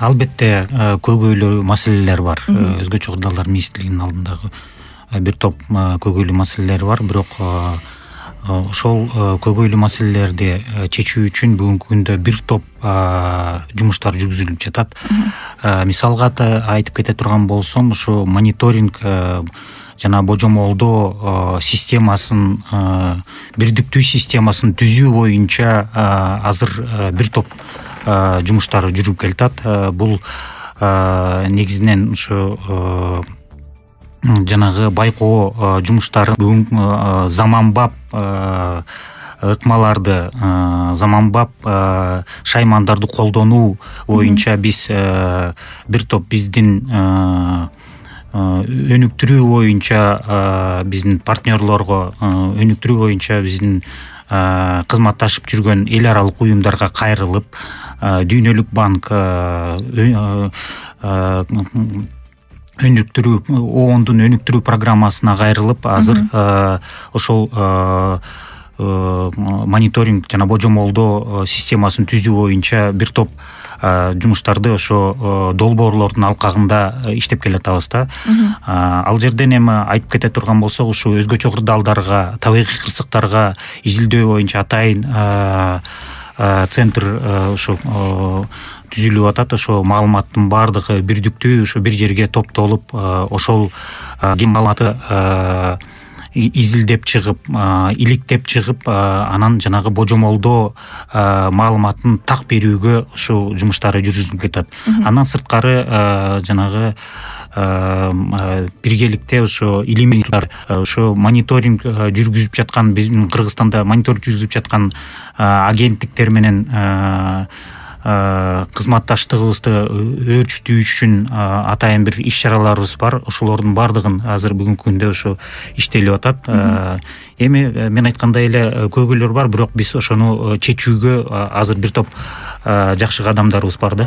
Албетте көйгөйлүү маселелер бар. Өзгөчө Кырдаалдар министрлигинин алдындагы бир топ көйгөйлүү маселелер бар, бирок ошол көйгөйлүү маселелерди чечүү үчүн бүгүнкү күндө бир топ жумуштар жүргүзүлүп жатат. Мисалга айтып кете турган болсом, ушу мониторинг жана божомолдоо системасын, бирдиктүү системасын түзүү боюнча азыр бир топ жумуштар жүрүп келатат. Бул негизинен ушу жанагы байкоо жумуштары бүгүн заманбап ыкмаларды, заманбап шаймандарды колдонуу боюнча биз бир топ биздин өнүктүрүү боюнча биздин партнерлорго өнүктүрүү боюнча биздин кызматташып жүргөн эл аралык уюмдарга кайрылып, Дүйнөлүк банк, ООНдун өнүктүрүү программасына кайрылып, азыр ошол мониторинг жана божомолдоо системасын түзүү боюнча бир топ жумуштарды ошо долбоорлордун алкагында иштеп келатабыз да. Ал жерден эми айтып кете турган болсок, ушу өзгөчө кырдаалдарга, табигый кырсыктарга изилдөө боюнча атайын центр ошо түзүлүп атат. Ошо маалыматтын баардыгы бирдиктүү ошо бир жерге топтолуп, ошол маалыматты изилдеп чыгып, иликтеп чыгып, анан жанагы божомолдоо маалыматын так берүүгө ушул жумуштары жүргүзүлүп кетет. Андан сырткары жанагы биргеликте ошо илимий ошо мониторинг жүргүзүп жаткан, биздин Кыргызстанда мониторинг жүргүзүп жаткан агенттиктер менен кызматташтыгыбызды өөрчүтүү үчүн атайын бир иш чараларыбыз бар. Ошолордун баардыгын азыр бүгүнкү күндө ошо иштелип атат. Эми мен айткандай эле көйгөйлөр бар, бирок биз ошону чечүүгө азыр бир топ жакшы кадамдарыбыз бар да.